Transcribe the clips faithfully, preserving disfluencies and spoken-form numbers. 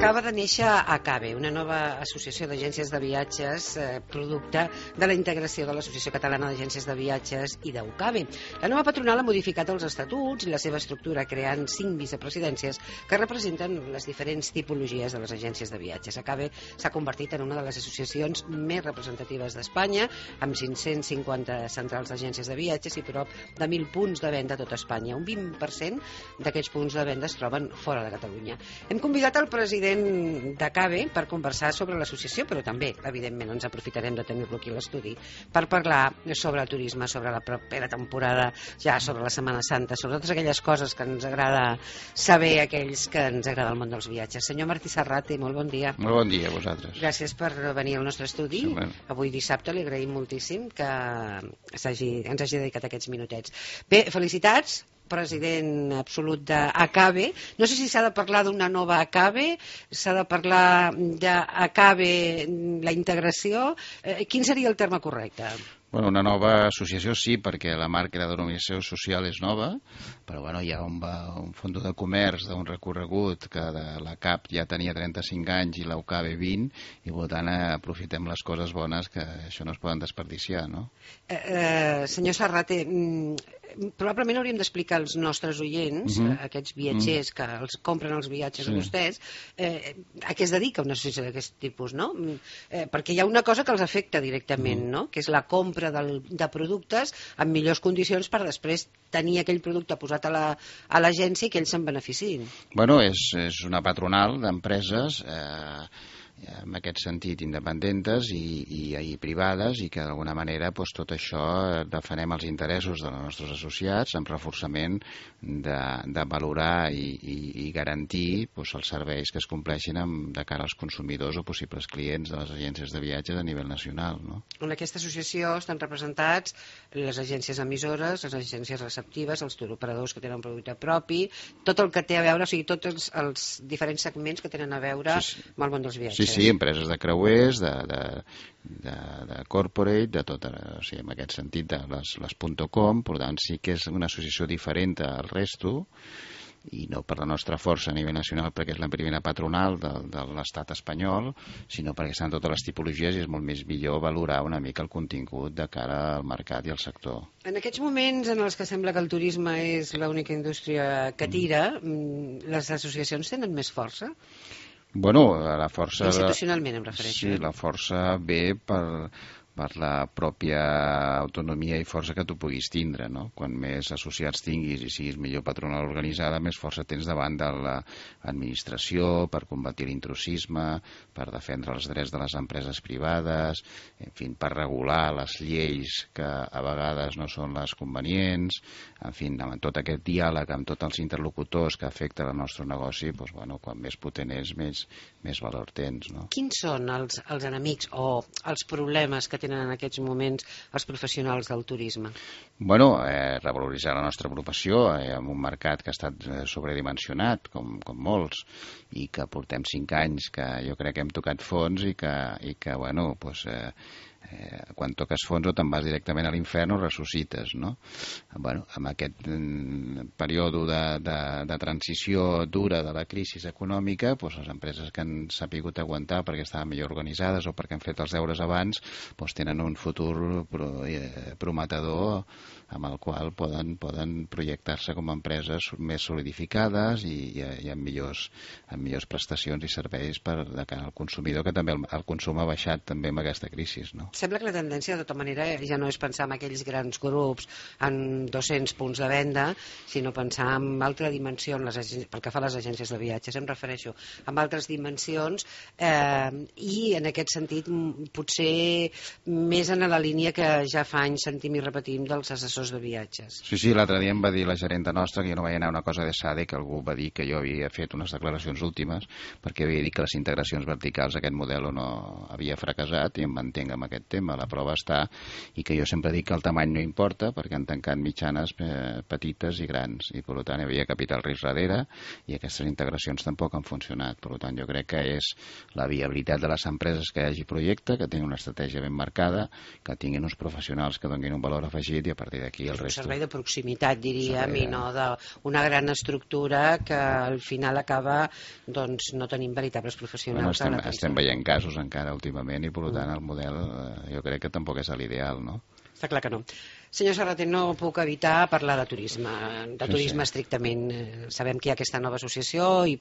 Acaba de néixer ACABE, una nova associació d'agències de viatges, eh, producte de la integració de l'Associació Catalana d'Agències de Viatges i d'UCABE. La nova patronal ha modificat els estatuts i la seva estructura, creant cinc vicepresidències que representen les diferents tipologies de les agències de viatges. ACABE s'ha convertit en una de les associacions més representatives d'Espanya, amb cinc-cents cinquanta centrals d'agències de viatges i prop de mil punts de venda a tot Espanya. Un vint per cent d'aquests punts de venda es troben fora de Catalunya. Hem convidat el president d'ACABE per conversar sobre l'associació, però també, evidentment, ens aprofitarem de tenir-lo aquí a l'estudi per parlar sobre el turisme, sobre la propera temporada, ja sobre la Setmana Santa, sobre totes aquelles coses que ens agrada saber a aquells que ens agrada el món dels viatges. Senyor Martí Serrate, molt bon dia. Molt bon dia a vosaltres. Gràcies per venir al nostre estudi. Sí, bueno. Avui dissabte li agraïm moltíssim que hagi, ens hagi dedicat aquests minutets. Bé, felicitats, president absolut d'ACABE. No sé si s'ha de parlar d'una nova ACABE, s'ha de parlar d'ACABE, la integració. Eh, quin seria el terme correcte? Bueno, una nova associació sí, perquè la marca i la denominació social és nova, però bueno, hi ha un, un fons de comerç d'un recorregut que de la CAP ja tenia trenta-cinc anys i l'UCABE vint, i per tant aprofitem les coses bones que això no es poden desperdiciar, no? Eh, eh, senyor Serrate, probablement hauríem d'explicar als nostres oients, uh -huh. aquests viatgers uh -huh. que els compren els viatges sí. a vostès, eh, a què es dedica una associació d'aquest tipus, no? Eh, perquè hi ha una cosa que els afecta directament, uh -huh. no? Que és la compra del, de productes en millors condicions per després tenir aquell producte posat a l'agència la, i que ells se'n beneficiïn. Bueno, és, és una patronal d'empreses eh, en aquest sentit independentes i, i, i privades, i que d'alguna manera pues, tot això defenem els interessos dels nostres associats amb reforçament de, de valorar i, i, i garantir pues, els serveis que es compleixin amb, de cara als consumidors o possibles clients de les agències de viatges a nivell nacional, no? En aquesta associació estan representats les agències emissores, les agències receptives, els touroperadors que tenen un producte propi, tot el que té a veure, o sigui, tots els, els diferents segments que tenen a veure sí, sí. amb el món dels viatges. Sí, sí, empreses de creuers, de, de, de, de corporate, de tot, o sigui, en aquest sentit, de les, les .com, per tant, sí que és una associació diferent al resto, i no per la nostra força a nivell nacional perquè és la primera patronal de, de l'estat espanyol, sinó perquè estan totes les tipologies i és molt més millor valorar una mica el contingut de cara al mercat i al sector. En aquests moments en els que sembla que el turisme és l'única indústria que tira, mm. les associacions tenen més força? Bueno, la força... Institucionalment em refereixo. Sí, la força ve per, per la pròpia autonomia i força que tu puguis tindre, no? Quan més associats tinguis i siguis millor patronal organitzada, més força tens davant de l'administració per combatir l'intrusisme, per defendre els drets de les empreses privades, en fi, per regular les lleis que a vegades no són les convenients, en fi, amb tot aquest diàleg amb tots els interlocutors que afecten el nostre negoci, doncs, bueno, quan més potent és, més, més valor tens, no? Quins són els, els enemics o els problemes que tenen en aquests moments els professionals del turisme? Bueno, eh, revaloritzar la nostra professió eh, en un mercat que ha estat eh, sobredimensionat, com, com molts, i que portem cinc anys que jo crec que hem tocat fons i que, i que bueno, pues, eh, Eh, quan toques fons o te'n vas directament a l'infern o ressuscites, no? Bueno, amb aquest mm, període de, de, de transició dura de la crisi econòmica, doncs les empreses que han sapigut aguantar perquè estaven millor organitzades o perquè han fet els deures abans, doncs tenen un futur pro, eh, prometedor amb el qual poden, poden projectar-se com a empreses més solidificades i, i, i amb, millors, amb millors prestacions i serveis per de cara al consumidor, que també el, el consum ha baixat també amb aquesta crisi, no? Sembla que la tendència, de tota manera, ja no és pensar en aquells grans grups en dos-cents punts de venda, sinó pensar en altra dimensió, en les agències, pel que fa a les agències de viatges, em refereixo, en altres dimensions, eh, i en aquest sentit potser més en la línia que ja fa anys sentim i repetim dels assessors de viatges. Sí, sí, l'altre dia em va dir la gerenta nostra que jo no vaig anar a una cosa de SADE, que algú va dir que jo havia fet unes declaracions últimes perquè havia dit que les integracions verticals, aquest model no havia fracassat, i em mantenc amb aquest aquest tema. La prova està, i que jo sempre dic que el tamany no importa, perquè han tancat mitjanes eh, petites i grans, i per tant hi havia capital risc darrere, i aquestes integracions tampoc han funcionat. Per tant, jo crec que és la viabilitat de les empreses que hi hagi projecte, que tinguin una estratègia ben marcada, que tinguin uns professionals que donin un valor afegit, i a partir d'aquí el resto... Un servei de proximitat, diríem, i no d'una gran estructura que al final acaba doncs, no tenint veritables professionals. Bueno, estem, estem veient casos encara últimament, i per tant el model jo crec que tampoc és l'ideal, no? Està clar que no. Senyor Serrater, no puc evitar parlar de turisme, de turisme sí, sí. estrictament. Sabem que hi ha aquesta nova associació i,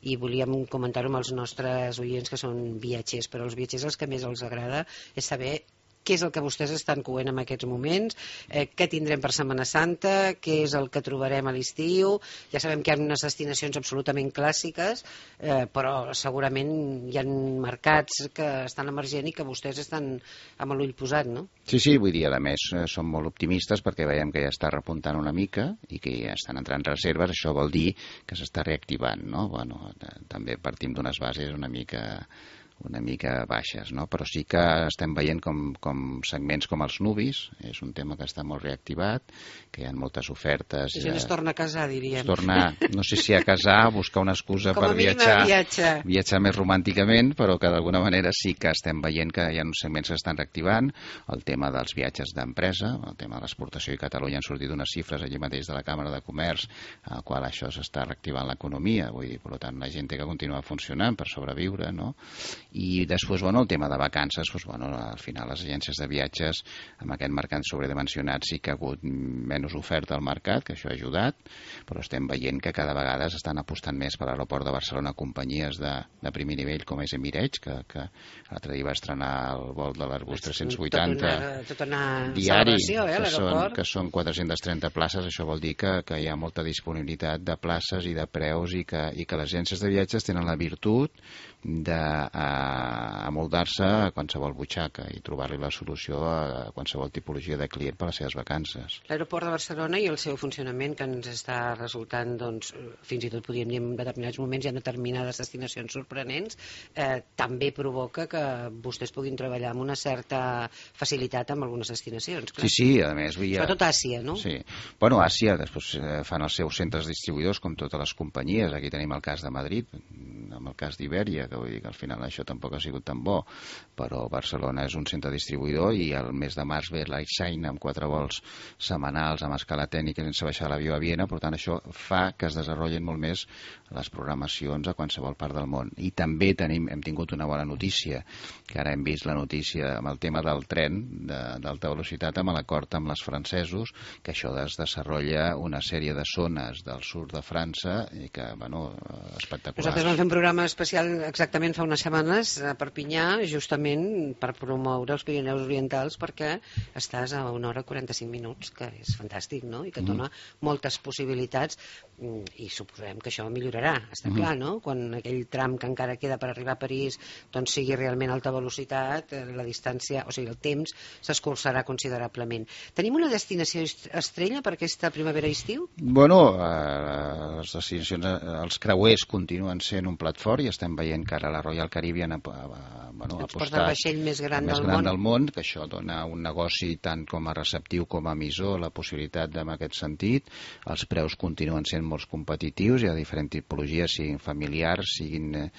i volíem comentar-ho amb els nostres oients que són viatgers, però els viatgers el que més els agrada és saber què és el que vostès estan coent en aquests moments, eh, què tindrem per Setmana Santa, què és el que trobarem a l'estiu. Ja sabem que hi ha unes destinacions absolutament clàssiques, eh, però segurament hi ha mercats que estan emergent i que vostès estan amb l'ull posat, no? Sí, sí, vull dir, a més, som molt optimistes perquè veiem que ja està repuntant una mica i que ja estan entrant reserves. Això vol dir que s'està reactivant, no? Bueno, també partim d'unes bases una mica... una mica baixes, no? Però sí que estem veient com, com segments com els nubis, és un tema que està molt reactivat, que hi ha moltes ofertes. La gent es torna a casar, diríem. Es torna, no sé si a casar, a buscar una excusa com per viatjar, viatjar, viatjar més romànticament, però que d'alguna manera sí que estem veient que hi ha uns segments que estan reactivant. El tema dels viatges d'empresa, el tema de l'exportació, i Catalunya han sortit unes xifres allí mateix de la Càmera de Comerç, al qual això s'està reactivant l'economia, vull dir, per tant, la gent té que continuar funcionant per sobreviure, no? I després, bueno, el tema de vacances, doncs, bueno, al final les agències de viatges amb aquest mercat sobredimensionat sí que ha hagut menys oferta al mercat, que això ha ajudat, però estem veient que cada vegada s'estan apostant més per l'aeroport de Barcelona companyies de, de primer nivell com és Emirates, que, que l'altre dia va estrenar el vol de l'Airbus tres-cents vuitanta tot una, tot una diari, eh, que, són, que són quatre-cents trenta places. Això vol dir que, que hi ha molta disponibilitat de places i de preus, i que, i que les agències de viatges tenen la virtut d'amoldar-se a qualsevol butxaca i trobar-li la solució a qualsevol tipologia de client per a les seves vacances. L'aeroport de Barcelona i el seu funcionament, que ens està resultant, doncs, fins i tot podríem dir en determinats moments hi ha determinades destinacions sorprenents, eh, també provoca que vostès puguin treballar amb una certa facilitat amb algunes destinacions. Clar. Sí, sí, a més... Havia... Sobretot Àsia, no? Sí. Bueno, Àsia, després eh, fan els seus centres distribuïdors com totes les companyies. Aquí tenim el cas de Madrid, amb el cas d'Ibèria, que vull dir que al final això tampoc ha sigut tan bo, però Barcelona és un centre distribuïdor, i el mes de març ve l'Airshine amb quatre vols setmanals amb escala tècnica sense baixar l'avió a Viena. Per tant, això fa que es desenvolupin molt més les programacions a qualsevol part del món. I també tenim, hem tingut una bona notícia, que ara hem vist la notícia amb el tema del tren d'alta velocitat, amb l'acord amb els francesos, que això es desenvolupa una sèrie de zones del sud de França i que, bueno, espectaculars. Nosaltres vam fer un programa especial exactament fa unes setmanes a Perpinyà, justament per promoure els Pirineus Orientals, perquè estàs a una hora i quaranta-cinc minuts, que és fantàstic, no? I que et dona mm. moltes possibilitats, i suposem que això millorarà, està mm. clar, no? Quan aquell tram que encara queda per arribar a París doncs sigui realment alta velocitat, la distància, o sigui, el temps s'escurçarà considerablement. Tenim una destinació estrella per aquesta primavera-estiu? Bueno, eh, les destinacions, els creuers continuen sent un plat fort, i estem veient que ara la Royal Caribbean ha, ha, bueno, ha apostat el vaixell més gran, més del, gran món. del món, que això dona un negoci tant com a receptiu com a emissor, la possibilitat en aquest sentit. Els preus continuen sent molt competitius, hi ha diferents tipologies, siguin familiars, siguin eh,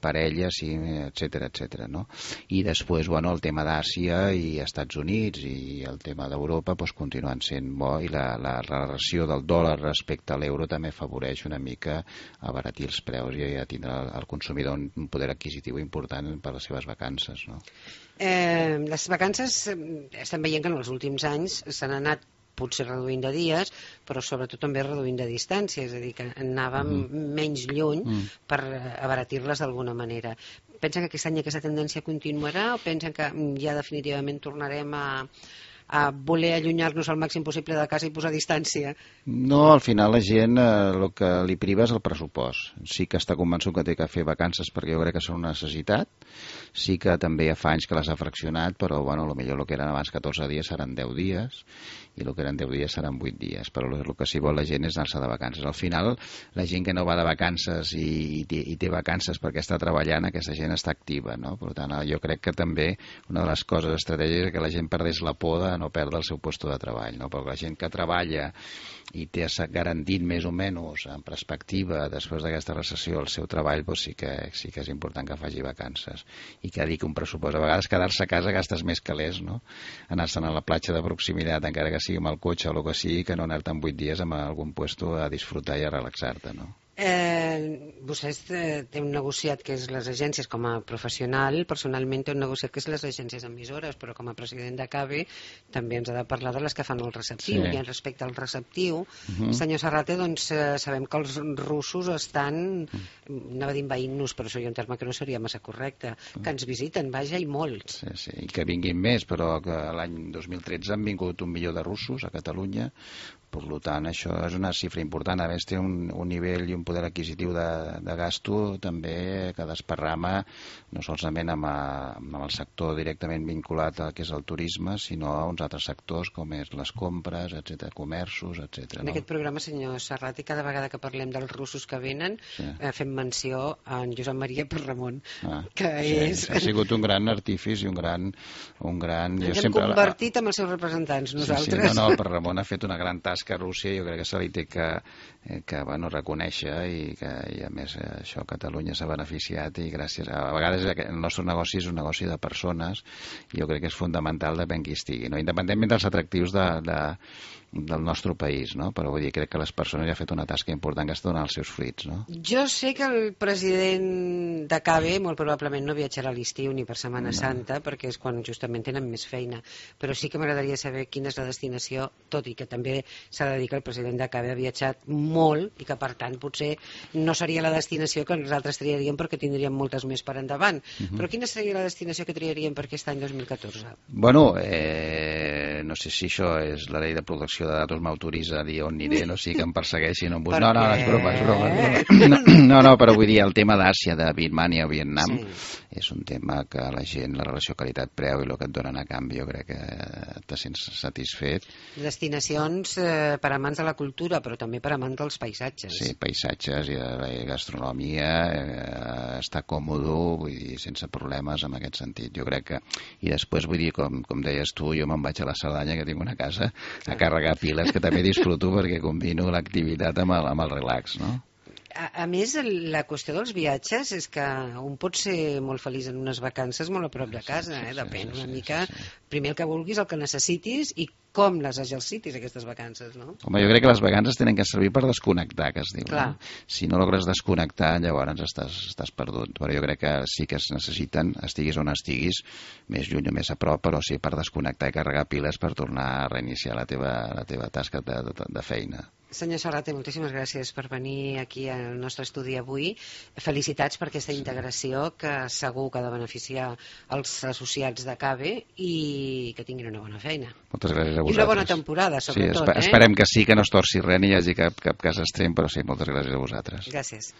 parelles, siguin, etcètera, etcètera, no? I després, bueno, el tema d'Àsia i Estats Units i el tema d'Europa doncs, continuen sent bo, i la, la relació del dòlar respecte a l'euro també afavoreix una mica abaratir els preus i a tindre el consumidor un poder adquisitiu important per les seves vacances, no? Eh, les vacances estem veient que en els últims anys s'han anat potser reduint de dies, però sobretot també reduint de distància, és a dir, que anàvem mm. menys lluny mm. per abaratir-les d'alguna manera. Pensen que aquest any aquesta tendència continuarà, o pensen que ja definitivament tornarem a, a voler allunyar-nos al màxim possible de casa i posar distància? No, al final la gent eh, el que li priva és el pressupost. Sí que està convençut que té que fer vacances perquè jo crec que són una necessitat. Sí que també ja fa anys que les ha fraccionat, però bueno, potser el que eren abans catorze dies seran deu dies i el que eren deu dies seran vuit dies, però el que sí vol la gent és anar-se de vacances. Al final, la gent que no va de vacances i, i, té, i té vacances perquè està treballant, aquesta gent està activa, no? Per tant, jo crec que també una de les coses estratègiques és que la gent perdés la por de no perdre el seu lloc de treball, no? Perquè la gent que treballa i té garantit més o menys en perspectiva després d'aquesta recessió el seu treball, doncs sí que, sí que és important que faci vacances i que dediqui un pressupost. A vegades quedar-se a casa gastes més calés, no? Anar-se'n a la platja de proximitat, encara que sigui amb el cotxe o el que sigui, que no anar-te'n vuit dies a algun puesto a disfrutar i a relaxar-te, no? Eh, vostès eh, té un negociat que és les agències com a professional, personalment té un negociat que és les agències emissores, però com a president de CABE també ens ha de parlar de les que fan el receptiu. Sí. I respecte al receptiu, uh -huh. senyor Serrate, doncs eh, sabem que els russos estan, uh -huh. anava a dir envaint-nos, però seria un terme que no seria massa correcte, uh -huh. que ens visiten, vaja, i molts. Sí, sí, i que vinguin més, però que l'any dos mil tretze han vingut un milió de russos a Catalunya. Per tant, això és una xifra important. A més, té un, un nivell i un poder adquisitiu de, de gasto també que desparrama no solament amb, a, amb el sector directament vinculat al que és el turisme, sinó a uns altres sectors com és les compres, etcètera, comerços, etcètera. En no? aquest programa, senyor Serrati, cada vegada que parlem dels russos que venen, sí. eh, fem menció a en Josep Maria Perramon, ah, que sí, és... Ha sigut un gran artífice i un gran... Un gran... Ens hem sempre... convertit amb els seus representants, nosaltres. Sí, sí, no, no, el Perramon ha fet una gran tasca a Rússia, jo crec que se li té que, que bueno, reconèixer i que i a més això Catalunya s'ha beneficiat i gràcies a, a vegades el nostre negoci és un negoci de persones i jo crec que és fundamental depèn qui estigui, no? Independentment dels atractius de, de, del nostre país, no? Però vull dir, crec que les persones ja han fet una tasca important que està donant els seus fruits, no? Jo sé que el president de CABE molt probablement no viatjarà a l'estiu ni per Setmana no. Santa perquè és quan justament tenen més feina, però sí que m'agradaria saber quina és la destinació, tot i que també s'ha de dir que el president de CABE ha viatjat molt i que per tant potser no seria la destinació que nosaltres triaríem perquè tindríem moltes més per endavant. Uh -huh. Però quina seria la destinació que triaríem per aquest any dos mil catorze? Bueno, eh, no sé si això és la llei de protecció de datos m'autoritza a dir on aniré, no sigui que em persegueixin on bus... no, no, és broma, és broma, és broma. No, no, però vull dir, el tema d'Àsia, de Birmània o Vietnam, sí. És un tema que la gent, la relació qualitat-preu i el que et donen a canvi, jo crec que te sents satisfet. Destinacions eh, per amants de la cultura, però també per amants dels paisatges. Sí, paisatges i la gastronomia, eh, estar còmode, vull dir, sense problemes en aquest sentit. Jo crec que... I després, vull dir, com, com deies tu, jo me'n vaig a la Cerdanya, que tinc una casa, a carregar piles, que també disfruto perquè combino l'activitat amb el, amb el relax, no? A, a més, la qüestió dels viatges és que un pot ser molt feliç en unes vacances molt a prop de casa, eh? Depèn una mica, primer el que vulguis, el que necessitis i com les exercitis, aquestes vacances, no? Home, jo crec que les vacances tenen que servir per desconnectar, que es diu. No? Si no logres desconnectar, llavors estàs, estàs perdut. Però jo crec que sí que es necessiten, estiguis on estiguis, més lluny o més a prop, però sí per desconnectar i carregar piles per tornar a reiniciar la teva, la teva tasca de, de, de feina. Senyor Serrate, moltíssimes gràcies per venir aquí al nostre estudi avui. Felicitats per aquesta integració que segur que ha de beneficiar els associats de CABE i que tinguin una bona feina. Moltes gràcies a vosaltres. I una bona temporada, sobretot. Sí, esper- eh? Esperem que sí, que no es torci res ni hi hagi cap, cap cas extrem, però sí, moltes gràcies a vosaltres. Gràcies.